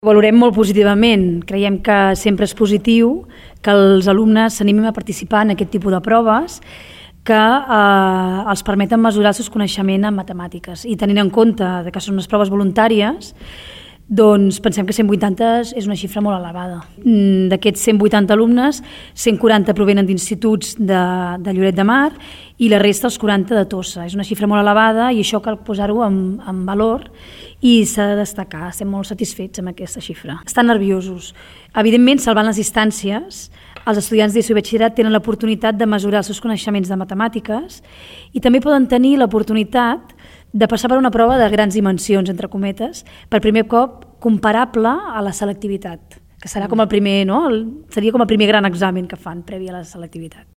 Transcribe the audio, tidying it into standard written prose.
Valorem molt positivament, creiem que sempre és positiu que els alumnes s'animin a participar en aquest tipus de proves que els permeten mesurar el seu coneixement en matemàtiques. I tenint en compte que són unes proves voluntàries, doncs pensem que 180 és una xifra molt elevada. D'aquests 180 alumnes, 140 provenen d'instituts de Lloret de Mar i la resta els 40 de Tossa. És una xifra molt elevada i això cal posar-ho en valor i s'ha de destacar. Estem molt satisfets amb aquesta xifra. Estan nerviosos. Evidentment, salvant les distàncies, els estudiants d'ESO i batxillerat tenen l'oportunitat de mesurar els seus coneixements de matemàtiques i també poden tenir l'oportunitat de passar per una prova de grans dimensions, entre cometes, per primer cop comparable a la selectivitat, que serà com el primer, no? Seria com el primer gran examen que fan previ a la selectivitat.